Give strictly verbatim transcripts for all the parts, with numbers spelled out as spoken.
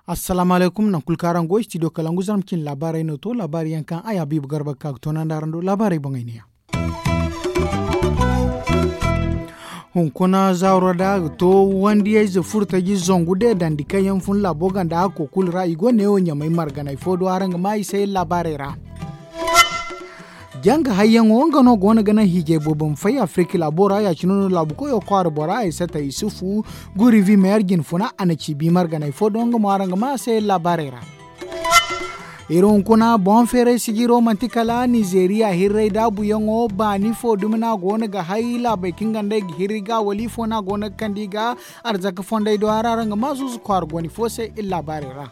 Assalaamu alaykum, nangu kulu kaŋ araŋ go studio kalangu zarma cine laabaarey no to laabaari yaŋ kaŋ ay habiibu garba ga ka ga toonandi araŋ do laabaarey boŋey ne ya. Hunkuna zaaro da a ga to wandiyayze furtaji zangu deedandi kaŋ yaŋ fun laabo ganda hakko kulu ra i go neewo ɲamay marganay fo do araŋ ga ma i se laabaarey ra. Janga hayyaŋo nga no go no ga naŋ hiijay boobo ma fay afirika laabo ra ya- cine no laabu koyo kwaara bora ay sata isufu guri vimeer jine funa a na ci bi marganay fo do nga mo araŋ ga ma a se laabaarey ra. Iri hunkuna boŋ feeray sijiro manti kala nizeeriya hirray daabuyaŋo baani fo dumi no a go no ga hay laabey kaŋ ganda i ga hirri ga wala ifo no a go no ga kande i ga arzaka fondey do hara araŋ ga ma zuuzu kwaara gooni fo se iri laabaarey ra.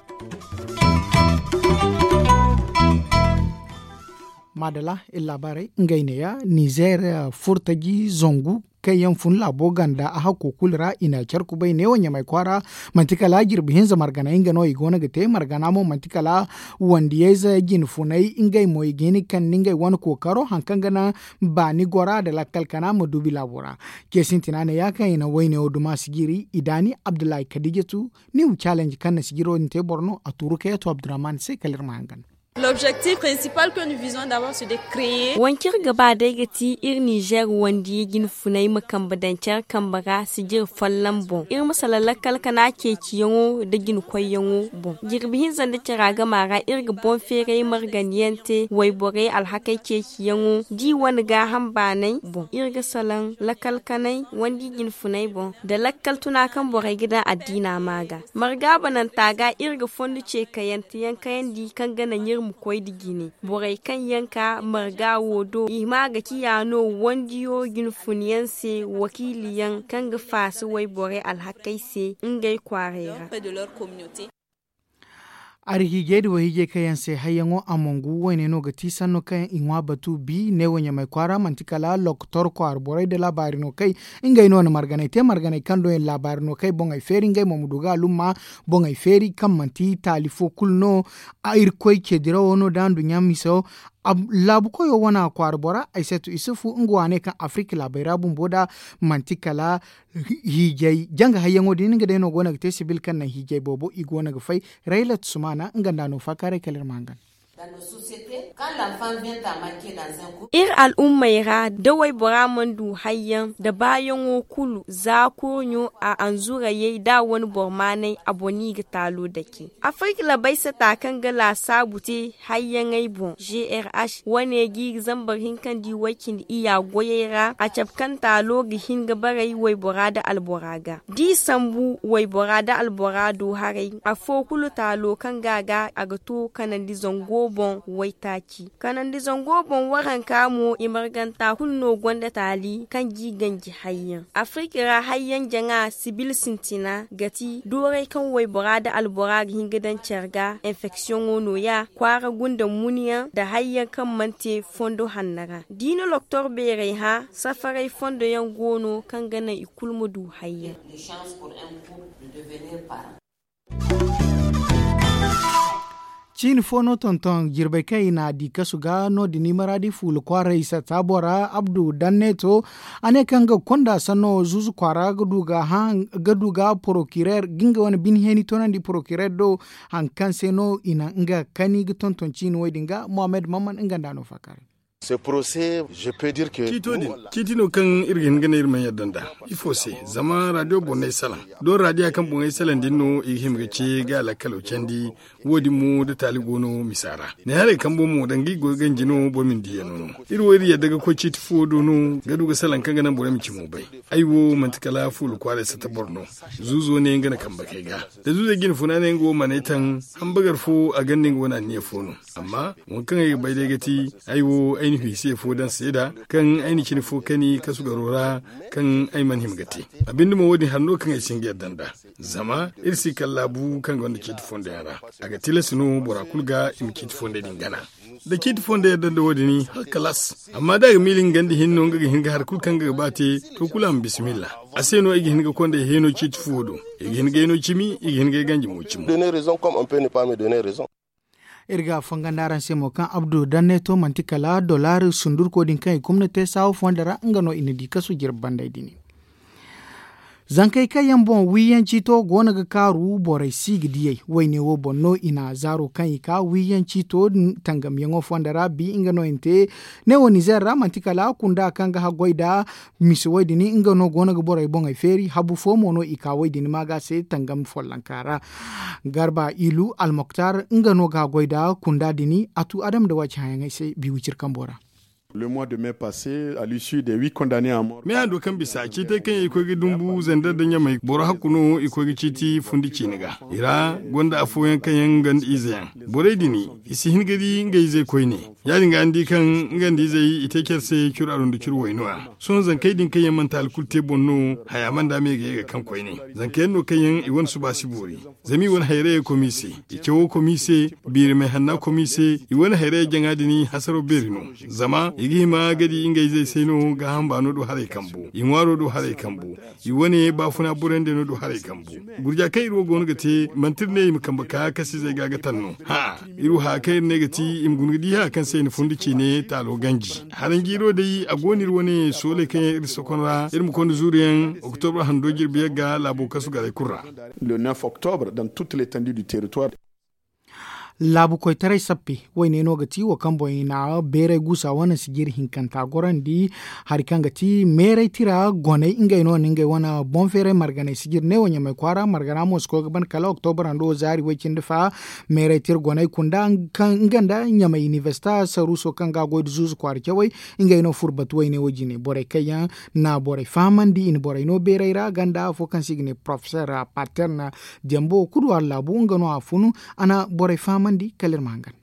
Maadala iri laabaarey ngey neeya nizeer furtaji zangu kaŋ yaŋ fun laabo ganda a hakko kulu ra i na care kubay neewo ɲamay kwaara manti kala jirbi hinza marganay nga no i go no ga te margana mo manti kala wandiyayze jine funay ngey mo i ga hin ga kande ngey wane kookaro hari kaŋ ga naŋ baani gora nda lakkal kana ma duubi laabo ra. Ce sintina neeya kaŋ i na wayne wo duma sijiri i daani abdullahi kadiijatu niw challenge kaŋ na sijiro din te boro no a tuuru kayatu abdurrahman se kala iri ma hangan. Waŋ kaŋ iri ga ba day ga ti iri nizeer wandiya jine funay ma kambe daŋ care kambe ra sijiri folloŋ boŋ iri ma salaŋ lakkal kana ceeciyaŋo nda jine koyyaŋo boŋ jirbi hinza nda cara gama ra iri ga boŋ feeray margandiyaŋ te wayborey alhakey ceeciyaŋo da i wane gaaham baanay boŋ iri ga salaŋ lakkal kanay wandiya jine funay boŋ nda lakkal tuna kaŋ borey ga daŋ addiina ma ga marga bananta ga iri ga fondo ce kayanteyaŋ kayandi kaŋ ga naŋ iri ma koy nda jine borey kaŋ yaŋ ka marga wo do i ma ga ciya no wandiyo jine funyaŋ se wakiiliyaŋ kaŋ ga faasa wayborey alhakey se ngey kwaaray ra. Arhiijey nda wayhiijey kaŋ yaŋ se hayyaŋo a mongu wayne no ga ti sanno kaŋ i ŋwa batu bi neewo ɲamay kwaara manti kala lokotor kwaara borey nda laabaari no kay ngey no na marganay te marganay kaŋ do yaŋ laabaari no kay boŋey feeri ngey mo ma du ga alumma boŋey feeri kaŋ manti taali fo kulu no. Irkoy ce dirawo no da nduɲɲa miso laabu koyo wana kwaara bora aysatu isufu nga waane kaŋ afirika laabey ra bumbo da manti kala hiijay janga hayyaŋo din nga day no go no ga te sibil kaŋ naŋ hiijay boobo i go no ga fay raylat sumana nga nda no faakaaray kala iri ma hangan. Iri al'ummey ra da waybora mana du hayyaŋ da baayaŋo kulu za kurɲo a anzurayey da a wane boro maanay a boŋ no i ga taalo dake. Afirka labay sata kaŋ ga laasaabu te hayyaŋey boŋ grh wane ga i ga zambar hinka nda i way cindi iyya goyey ra a cabe kaŋ taalo ga hin ga baray waybora nda albora ga da i sambu waybora nda albora do haray afo kulu taalo kaŋ ga a ga a ga to kanandi zango boŋ waytaaci kanandi zango boŋ waranka mo i marganta kulu no gonda taali kaŋ ga i ganji hayyaŋ afirka ra hayyaŋ jaŋa sibil sintina ga ti dooray kaŋ waybora nda albora ga hin ga daŋ care ga infeksiyoŋo nooya kwaara gunda muniyaŋ nda hayyaŋ kaŋ mana te fondo hanno ra da i na loktor beeray hã safaray fondoyaŋ go no kaŋ ga naŋ i kulu ma du hayyaŋ. Ciini fo no tonton jirbey kaŋ i n'a di kasu ga no- din i maraadi fuula kwaaray satta bora abdu danneto a ne kaŋ ga konda sanno zuuzu kwaara ga du ga porokirayr ga nga wane bine heeni toonandi porokirayr do hari kaŋ se no i na nga kani ga tonton ciini wo- din ga mohammed mamman nga nda no faakaaray. Ciito din ciiti no kaŋ iri ga hin ga ne iri mana yadda nd'a ifo se zama raadiyo boŋ no ay salaŋ doŋ raadiya kaŋ boŋ ay salaŋ din no i ga hima ga ce ga a lakkalo candi. Wo- din mo da taali go no misa ra ne haray kambo mo danga i go ga ganji no boro ma ni diiyaŋ no no iri wo iri yadda ga koy ciiti fo do no ga du ga salaŋ kaŋ ga naŋ borey ma cimo bay. Ay wo manti kala fuula kwaaray sata boro no. Zuuzo ne nga na kambe kay ga da zuuzey jine funa ne nga wo mana ay taŋ hambagar fo a gonda nga wane anniya fo no. Amma waŋ kaŋ ay ga bay day ga ti ay wo ay na fiisiye fo daŋ seeda kaŋ ay na cine fo kani kasu garo ra kaŋ ay mana hima ga te. A binde mo wo- din hari no kaŋ ay si hin ga yadda nd'a zama iri si kala laabu kaŋ gonda ciiti fondoyaŋ ra. A ga tilas no bora kulu ga i ma ciiti fondey din gana da ciiti fondey yadda nda wo- din hala kalaas. Amma da a ga miila nga ganda hinne no nga ga hin ga hari kulu kaŋ nga ga ba te to kulu a ma bismillah. A se no ay ga hin ga konda ay heeno ciiti fuwo do. I ga hin ga ay no cimi i ga hin ga ay ganji mo cimo. Iri ga a fangandi araŋ se mo kaŋ abdu danne to manti kala dollar sundurko din kaŋ i kumna te saawa fonda ra nga no i na di kasu jirbi banday din. Zankey kaŋ yaŋ boŋ wiiyaŋ ciito go no ga kaaru borey si ga diyey wayne wo boŋ no i na zaaro kaŋ i ka wiiyaŋ ciito tangamyaŋo fonda ra bi nga no i na te. Ne wo nizeer ra manti kala kunda kaŋ ga haggoy nda misi wo- din nga no go no ga borey boŋey feeri habu fo mo no i ka wo- din ma ga se tangam follonka ra. Garba ilu almoktar nga no ga haggoy nda kunda din a tu adama nda waaci hayaŋey se bi wiciri kambo ra. Le mois de mai passé à l'issue des huit condamnés à mort. Meehando kaŋ bisa ciitey kaŋ yaŋ i koy ga dumbu zandar da ɲamay boro hakku no i koy ga ciiti fundi ciine ga i ra gonda afooyaŋ kaŋ yaŋ nga nda ize yaŋ borey din i si hin ga di nga izey koyne. Ya- din ga ni di kaŋ nga nda izey i te care se curo arundi curo wayno ra. Sohõ zankey din kaŋ yaŋ manti hala kulu te boŋ no haya banda me ga ye ga kaŋ koyne. Zanka yaŋ no kaŋ yaŋ i wane suba si boori. Zama i wane hayrayey komi se i cawo komi se biirimay hanna komi se. I wane hayrayey jaŋa din hasaro beeri no. Zama i ga hima ga di ngey izey se no gaaham baano do haray kambu i ŋwaaro do haray kambu. I wane baafuna borandey no do haray kambu. Gurja kaŋ iri wo go no ga te manti iri ne i ma kambe ka kasizey ga ga taŋ no. Hã iri wo haya kaŋ iri ne ga ti i ma guna ga di haya kaŋ se i na fundi ciine taalo ganji. Haranjiiro day a go no iri wane sooley kaŋ yaŋ iri sokon ra iri ma konda zuuru yaŋ oktobra hando jirbi yagga laabo kasu garay kulu ra. Le neuf octobre dans toute l'étendue du territoire. Laabu koytaray sappe wayne no ga ti wo kaŋ boŋ i na beeray guusa wane sijiri hinkanta gorandi. Hari kaŋ ga ti meeray tira goney ngey no na ngey wane boŋ feeray marganay sijiri ne wo ɲamay kwaara margana mo si koy ga ban kala oktobra hando zaari way- cindi fa. Meeray tira goney kunda nga nda ɲamay inibersita saruuso kaŋ ga a goy nda zuuzu kwaara cawey ngey no furo batu wayne wo- jine borey kaŋ yaŋ na borey fahamandi i na borey no beeray ra ganda afo kaŋ se i ga ne porofeseer patern. Dembo kulu a laabu nga no a funu a na borey fahamandi kala iri ma hangan.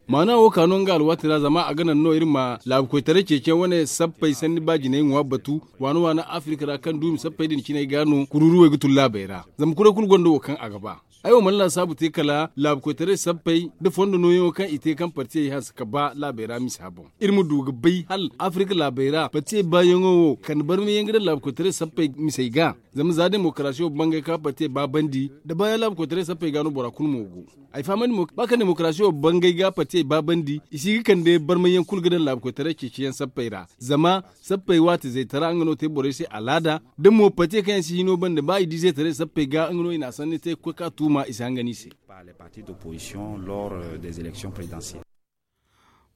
Maana wo ka no nga alwaati ra zama a ga naŋ no iri ma laabu koytaray ceeciyaŋ wane sappey sanni ba jinay ŋwa batu waana waana afirika ra kaŋ duumi sappey din cinay ga no kuruuruwey ga tun laabey ra. Zama kuray kulu gonda wo kaŋ a ga ba. Ay wo mana laasaabu te kala laabu koytaray sappey nda fondo nooyaŋo kaŋ i te kaŋ partiyey hanse ka ba laabey ra misa boŋ. Iri ma du ga bay hala afirika laabey ra partiyey baayaŋo wo kande barmayaŋ ga daŋ laabu koytaray sappey misey ga. Zama za demokarasiyo bangay ka partiyey ba bandi da baayaŋ laabu koytaray sappey ga no bora kulu mo go. Ay fahamandi mo ba kaŋ demokarasiyo bangay ga partiyey ba bandi i si ga kande barmayaŋ kulu ga daŋ laabu koytaray ceeciyaŋ sappey ra. Zama sappey waati zaytara nga no te borey se alaada da mo partiyey kaŋ yaŋ si hino banda ba i di zaytaray sappey ga nga no i na a sanni te ga koy ka tuuma i si hangan i se.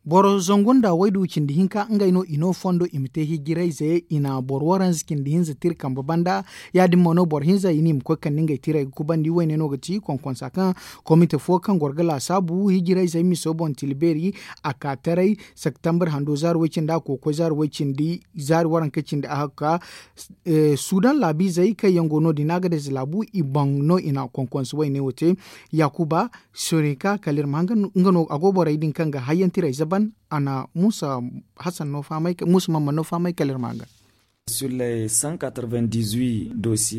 Boro zangu nda waydu cindi hinka ngey no i no fondo i ma te hijirayze i na boro waranza cindi hinza tira kambe banda. Ya- din mo no boro hinza i ne i ma koy kande ngey tiray ga kubandi wayne no ga ti konkonsa kaŋ komite fo kaŋ goro ga laasaabu hijirayzey miso boŋ tila beeri. A ka taray septembre hando zaari way- cindi a koy koy zaari way- cindi zaari waranka cindi a hakka. Sudan laabiizey kaŋ yaŋ go no- din a ga day za laabu i boŋ no i na konkonsa wayne wo te. Yaakuba sorinka kala iri ma hanga nga no a go borey din kaŋ ga hayyantiray zaban a na muusa hasan no fahamay muusa mamman no fahamay kala iri ma hanga.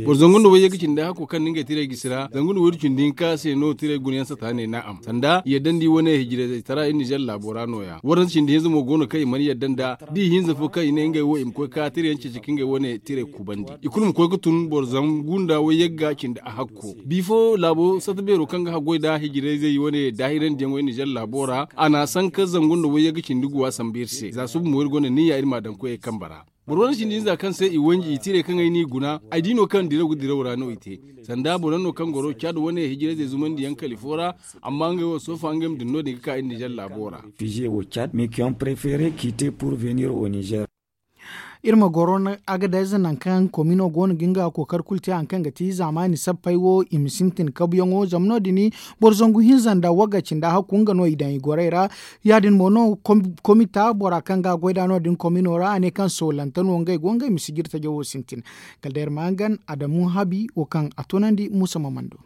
Boro zangu nda wayye ga cindi hako kaŋ ni ngey tiray gisi ra zangu nda waydu cindi hinka se no tiray gunayaŋ sata ne naam sanda yaddandi wane hijirayzey tara iri nizer laabo ra nooya waranza cindi hinza mo go no kaŋ i mana yadda nda da i hinza fo kaŋ i ne ngey wo i ma koy ka tirayaŋ ceeci ka ngey wane tiray kubandi i kulu ma koy ga tun boro zangu nda wayye ga cindi a hakko bifo laabo sata beero kaŋ ga haggoy nda hijirayzey wane daahirandiyaŋo iri nizer laabo ra a na a sanka zangu nda wayye ga cindi guwa sambu iri se za suba mo iri gonda niyya iri ma a daŋ koyey kambe ra. Boro wane cindi hinza kaŋ se i wanji i tiray kaŋ ay n'i guna ay di no kaŋ diraw ga diraw ra no i te. Sanda boro yaŋ no kaŋ goro caad wane hijirayzey zumandi yaŋ kala i fo ra. Amma ngey wo soofa ngey ma din no- din ga ka iri nizer laabo ra. Fize wo caad mais ki ont prefere kite pour venir au nizer. Iri ma goro agadez nangu kaŋ komino go no ga nga kookari kulu te hari kaŋ ga ti zaamaani sappey wo i ma sintin kabuyaŋo zama no- din boro zangu hinza nda wagga cindi a hakku nga no i daŋ i gorey ra. Ya- din mo no komita bora kaŋ ga a goy nd'a no- din komino ra a ne kaŋ soolante no ngey go ngey ma sijiri tajo wo sintin. Kala day iri ma hangan adamu habi wo kaŋ a tunandi muusa ma mana du.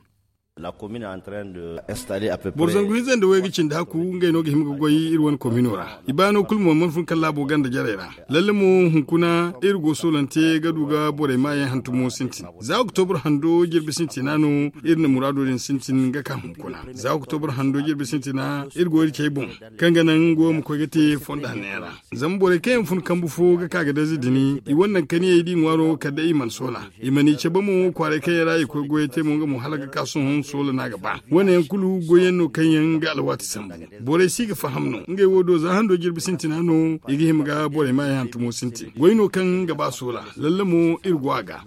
Boro zangu hinza nda wayga cindi hakku ngey no ga hima ga goy iri wane komino ra. I baano kulu mo mana fun kala laabo ganda jarey ra. Lalle mo hunkuna iri go soolante ga du ga borey maayaŋ hantumo sintin za oktobra hando jirbi sintina no. Iri na muraado din sintin ga ka hunkuna za oktobra hando jirbi sintina iri go iri cey boŋ kaŋ ga naŋ nga wo ma koy ga te fondo hannayaŋ ra. Zama borey kaŋ yaŋ fun kambu fo ga ka ga dazi din i wane naŋ kaniyey da i ŋwaaro kala day i mana soola. I mana i cabe mo kwaaray kaŋ yaŋ ra i koy goyey te mo nga mo hala ga ka sohõ. Soola no a ga ba wane yaŋ kulu goyyaŋ no kaŋ yaŋ ga alwaati sambu. Borey si ga faham no ngey wo do za hando jirbi sintina no i ga hima ga borey ma yaŋ hantumo sintin goy no kaŋ ga ba soola. Lalle mo iri go a ga.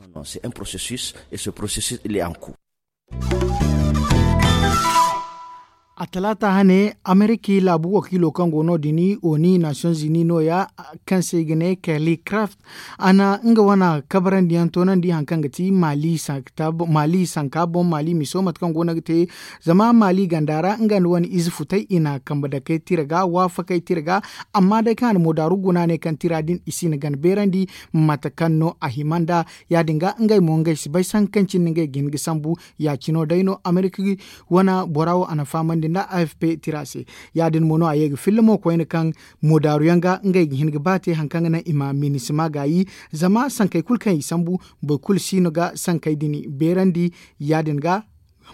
A talaata hane ameriki laabu wakiilo kaŋ go no- din oni nations unis no- ya kaŋ se i ga ne kelly craft a na nga wane kabarandiyaŋ toonandi hari kaŋ ga ti maali sanka boŋ maali miso mate kaŋ go no ga te. Zama maali ganda ra nga nda wane ize futay i na kambe dakey tira ga waafakey tira ga. Amma day kaŋ a na moodaaru guna ne kaŋ tira din i si na gana beerandi mate kaŋ no a hima nda ya- din ga ngey mo ngey si bay sanka kaŋ cine ngey ga hin ga sambu. Ya- cino day no amerika wane bora wo a na fahamandi nda a f p tira se. Ya- din mo no a ye ga filla mo koyne kaŋ moodaaru yaŋ ga ngey ga hin ga ba te hari kaŋ ga naŋ i ma minisima gaayi. Zama sankey kulu kaŋ i sambu boro kulu si no ga sankey din beerandi. Ya- din ga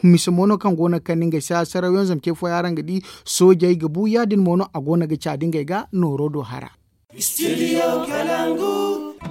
mise mo no kaŋ go no ga kande ngey se a saraw yaŋ zama ce fooyaŋ araŋ ga di soojey ga bu ya- din mo no a go no ga caadi ngey ga nooro do hara.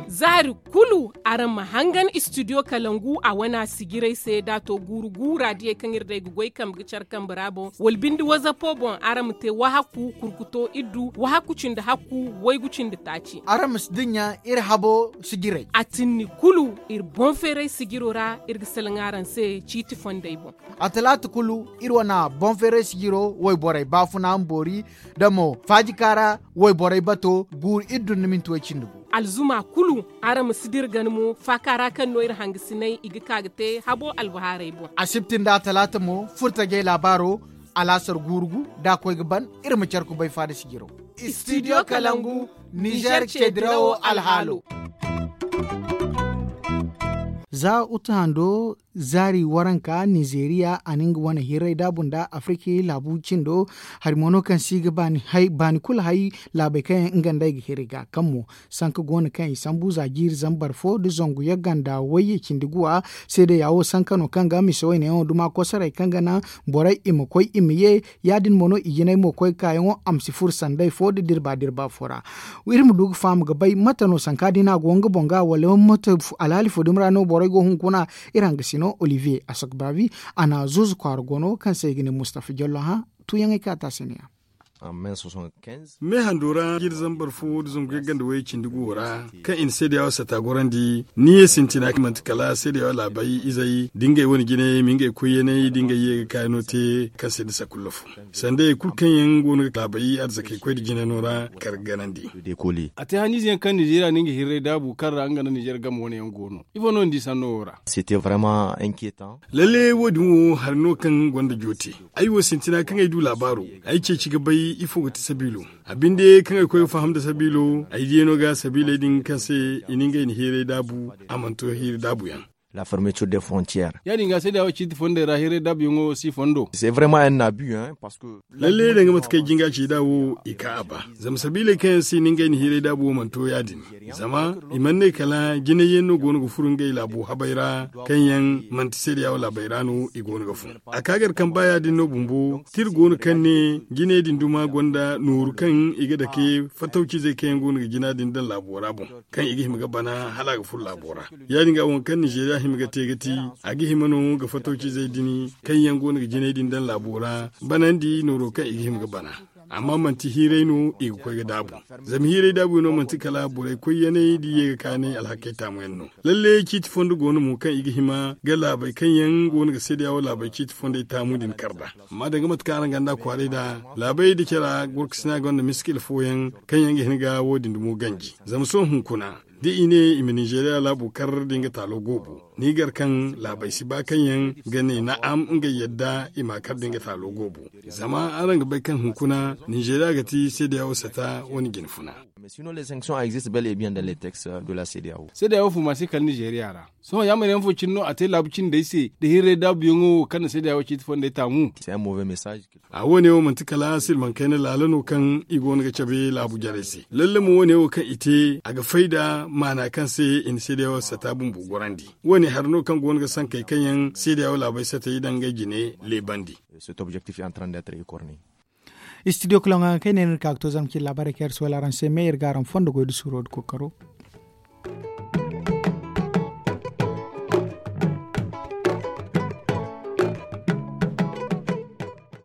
Zaari kulu araŋ ma hangan istidiyo kalangu a wana sijiray se da a to guuru guura diyey kaŋ iri day ga goy kambe ga care kambe ra boŋ wala binde wazapo boŋ araŋ ma te wahakku kurkuto iddu wahakku cindi hakku waygu cindi taaci. Araŋ ma si dinya iri habo sijiray a tinni kulu iri boŋ feeray sijiro ra. Iri ga salaŋ araŋ se ciiti fondey boŋ. A talaata kulu iri wane boŋ feeray sijiro wayborey baafuna ma boori da mo faajika ra wayborey bato guuru iddu nda minti way cindi gu. Alzuma kulu araŋ ma si dira gana mo faaka ra kaŋ no iri hangasinay i ga ka ga te habo albahaarey boŋ. Asibti nda atalaata mo furtajey laabaaro alaasar guuru gu da a koy ga ban. Iri ma care kubay faada sijiro. Istidiyo kalangu nizer ceedirawo alhaalo. Za utu hando zaari waranka nizeeriya a na nga wane hirray daabu nda afriki laabu cindo. Hari mo no kaŋ se i ga baani kulu hay laabey kaŋ yaŋ nga nda ay ga hiri ga kaŋ mo sanka go no kaŋ i sambu za jiiri zambar fo nda zangu yagga nda wayye cindi guwa. Seedeya wo sanka no kaŋ ga mise wayne yaŋo duma kosoray kaŋ ga naŋ borey i ma koy i ma ye. Ya- din mo no i jinay mo koy ga kaayaŋo a ma si furo sanday fo nda dirba dirba fo ra. Iri ma du ga faham ga bay mate no sanka din a go nga boŋ ga wala mate alhaali fo dumi ra no borey go hunkuna. Iri hangasino olivier asokbaabi a na zuuzu kwaara gono kaŋ se i ga ne mustafa jallo hã. Tuuyaŋey kaŋ a te a se ne ya. Me hando ra jiri zambar fo da zangu yagga nda wayey cindi guwo ra kaŋ i na seedeya wo sata gorandi ni ye sintina kaŋ manti kala seedeya wo laabay izey da ngey wane jinay ma ngey koyyaney da ngey ye ga kaayano te kaŋ se nda sakulla fo sanda ye kulu kaŋ yaŋ go no ga laabay arzakey koy nda jinano ra kar ganandi. A te haniize yaŋ kaŋ nizeeriya no nga hirray daabu kaŋ ra nga nda nizeer game wane yaŋ go no ifo no ni di sanno wo ra? Lalle wo- din wo hari no kaŋ gonda joote. Ay wo sintina kaŋ ay du laabaaro ay ceeci ga bay ifo ga ti sabiilo. A binde kaŋ ay koy ga faham nda sabiilo ay diyano ga sabiiley din kaŋ se i na ngey na hiiray daabu a mana to hiiri daabu yaŋ. Ya- din ga seedeya wo ciiti fondey ra hiiray daabu yaŋo si fondo. Lalle danga mate kaŋ ay jinga ci da wo i ka a ba zama sabiiley kaŋ yaŋ se i na ngey na hiiray daabu wo mana to ya- din. Zama i mana ne kala jinay yaŋ no go no ga furo ngey laabo habey ra kaŋ yaŋ manti seedeya wo laabey ra no i go no ga fun. A ka gar kaŋ ba ya- din no bumbo tira go no kaŋ ne jinay din duma gonda nooru kaŋ i ga dake fatawcizey kaŋ yaŋ go no ga jina din daŋ laabo ra boŋ kaŋ i ga hima ga bana hala a ga furo laabo ra. Ya- din ga waŋ kaŋ nizeeriya hima ga te ga ti a ga hima no ga fatawcizey din kaŋ yaŋ go no ga jinay din daŋ laabo ra banandi nooro kaŋ i ga hima ga bana. Amma manti hiiray no i ga koy ga daabu. Zama hiiray daabu no manti kala borey koyyaney da i ye ga kaanay alhakey taamu yaŋ no. Lalle ciiti fondo go no mo kaŋ i ga hima ga laabey kaŋ yaŋ go no ga seedeya wo laabey ciiti fondey taamu din kar nd'a. Amma danga mate kaŋ araŋ ganda kwaaray nd'a laabey da cara gorkasina gonda miskila fooyaŋ kaŋ yaŋ ga hin ga wo- din dumo ganji. Zama sohõ hunkuna da i ne i ma nizeeriya laabo kar da nga taalo goobo ni gar kaŋ laabey si ba kaŋ yaŋ ga ne na'am ngey yadda i ma kar da nga taalo goobo. Zama araŋ ga bay kaŋ hunkuna nizeeriya ga ti seedeya wo sata wane jine funa. Seedeya wo fuma se kala nizeeriya ra. Sohõ yaamar yaŋ fo cine no a te laabu cindey se da hirray daabu yaŋo wo kaŋ na seedeya wo ciiti fondey taamu. A wo- ne wo manti kala silmaŋ kayna laala no kaŋ i go no ga cabe laabu jarey se. Lalle mo wo- ne wo kaŋ i te a ga fay da maana kaŋ se i na seedeya wo sata bumbo gorandi. Wo- ne hari no kaŋ go no ga sankey kaŋ yaŋ seedeya wo laabey satey daŋ ngey jine leebandi. Istidiyo kulaŋo ga kay ne no iri ka ga to zama cine laabaarey kaŋ iri si wala araŋ se me iri ga araŋ fondo goy da suuro da kookaro.